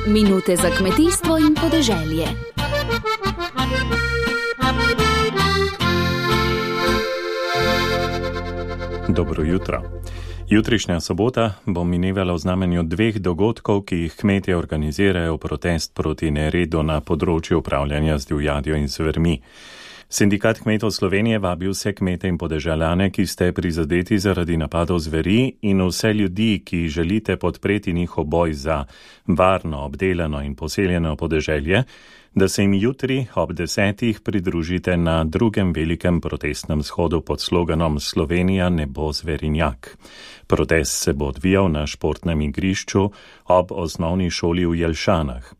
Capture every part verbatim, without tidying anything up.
Minute za kmetijstvo in podeželje. Dobro jutro. Jutrišnja sobota bo minevala v znamenju dveh dogodkov, ki jih kmetje organizirajo v protest proti neredu na področju upravljanja z divjadjo in zvermi. Sindikat kmetov Slovenije vabi vse kmete in podeželjane, ki ste prizadeti zaradi napadov zveri, in vse ljudi, ki želite podpreti njihov boj za varno, obdelano in poseljeno podeželje, da se jim jutri ob desetih pridružite na drugem velikem protestnem shodu pod sloganom Slovenija ne bo zverinjak. Protest se bo odvijal na športnem igrišču ob osnovni šoli v Jelšanah.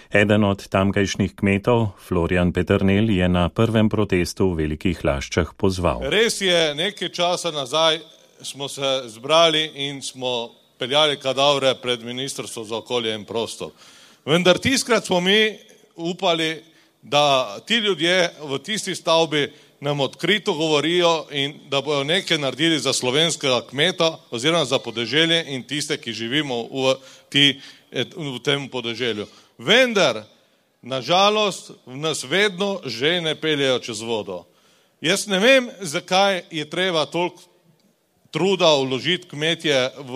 Eden od tamkajšnjih kmetov, Florjan Peternel, je na prvem protestu v Velikih Laščah pozval. Res je, nekaj časa nazaj smo se zbrali in smo peljali kadavre pred Ministrstvo za okolje in prostor. Vendar tiskrat smo mi upali, da ti ljudje v tisti stavbi nam odkrito govorijo in da bojo nekaj naredili za slovenskega kmeta oziroma za podeželje in tiste, ki živimo v, ti, v tem podeželju. Vendar, nažalost, nas vedno že ne peljejo čez vodo. Jaz ne vem, zakaj je treba toliko truda vložiti kmetje v,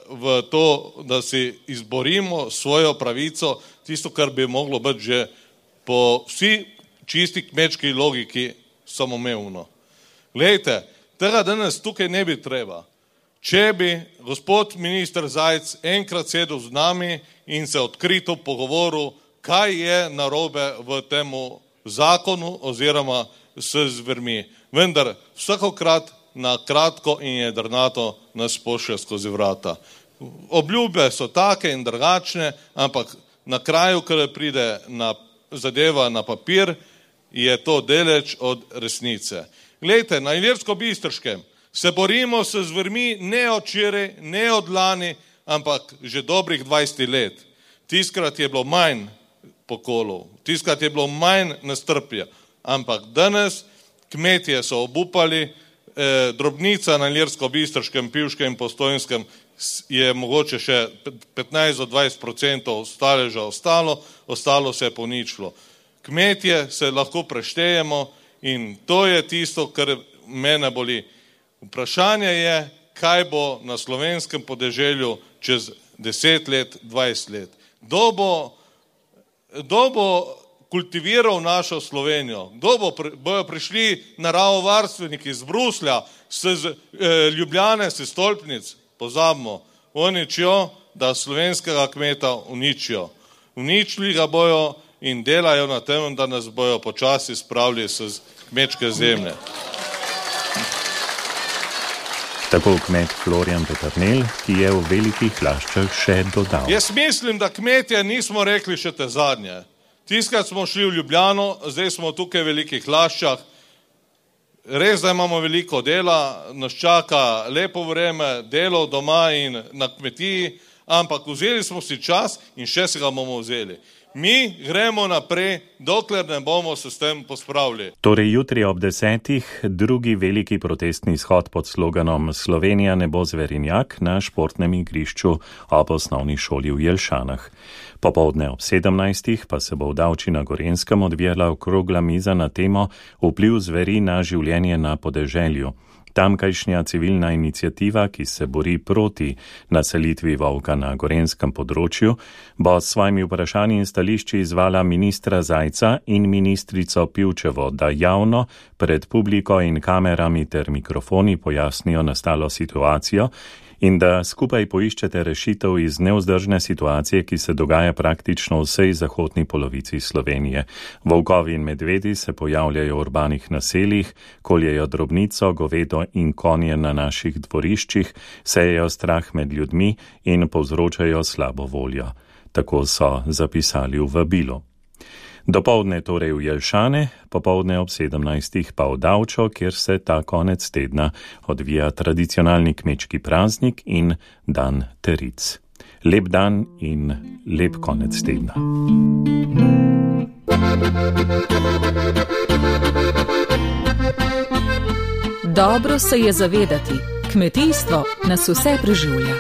v to, da si izborimo svojo pravico, tisto, kar bi moglo biti že po vsi čisti kmečki logiki samoumevno. Glejte, tega danes tukaj ne bi treba. Če bi gospod minister Zajc enkrat sedel z nami in se odkrito pogovoril, kaj je narobe v temu zakonu oziroma s zvermi. Vendar vsakokrat na kratko in jedrnato nas pošlje skozi vrata. Obljube so take in drugačne, ampak na kraju, ko pride na zadeva na papir, je to deleč od resnice. Glejte, na Ilirsko-Bistriškem se borimo s zvermi ne od včeraj, ne od lani, ampak že dobrih dvajset let. Tiskrat je bilo manj pokolov, tiskrat je bilo manj nestrpja, ampak danes kmetje so obupali, eh, drobnica na Ilirsko-Bistriškem, Pivškem in Postojnskem je mogoče še petnajst do dvajset procentov staleža ostalo, ostalo se je poničilo. Kmetje se lahko preštejemo in to je tisto, kar mene boli. Vprašanje je, kaj bo na slovenskem podeželju čez deset let, dvajset let. Kdo bo, kdo bo kultiviral našo Slovenijo? Kdo bo, bojo prišli naravovarstveniki iz Bruslja, s e, Ljubljane, s stolpnic? Pozabimo, oni čijo, da slovenskega kmeta uničijo. Uničili ga bojo in delajo na tem, da nas bojo počasi spravili s kmečke zemlje. Tako kmet Florjan Peternel, ki je v Velikih Laščah še dodal. Jaz mislim, da kmetje nismo rekli še te zadnje. Tiskrat smo šli v Ljubljano, zdaj smo tukaj v Velikih Laščah. Res, da imamo veliko dela, nas čaka lepo vreme, delo doma in na kmetiji, ampak vzeli smo si čas in še se ga bomo vzeli. Mi gremo naprej, dokler ne bomo se s tem pospravili. Torej jutri ob desetih drugi veliki protestni shod pod sloganom Slovenija ne bo zverinjak na športnem igrišču ob osnovni šoli v Jelšanah. Popoldne ob sedemnajstih pa se bo v Davči na Gorenjskem odvijala okrogla miza na temo vpliv zveri na življenje na podeželju. Tamkajšnja civilna iniciativa, ki se bori proti naselitvi volka na gorenjskem področju, bo s svojimi vprašanji in stališči izvala ministra Zajca in ministrico Pivčevo, da javno pred publiko in kamerami ter mikrofoni pojasnijo nastalo situacijo in da skupaj poiščete rešitev iz nevzdržne situacije, ki se dogaja praktično v vsej zahodni polovici Slovenije. Volkovi in medvedi se pojavljajo v urbanih naseljih, koljejo drobnico, govedo in konje na naših dvoriščih, sejejo strah med ljudmi in povzročajo slabo voljo. Tako so zapisali v vabilu. Dopoldne torej v Jelšane, popoldne ob sedemnajstih pa v Davčo, kjer se ta konec tedna odvija tradicionalni kmečki praznik in dan teric. Lep dan in lep konec tedna. Dobro se je zavedati, Kmetijstvo nas vse preživlja.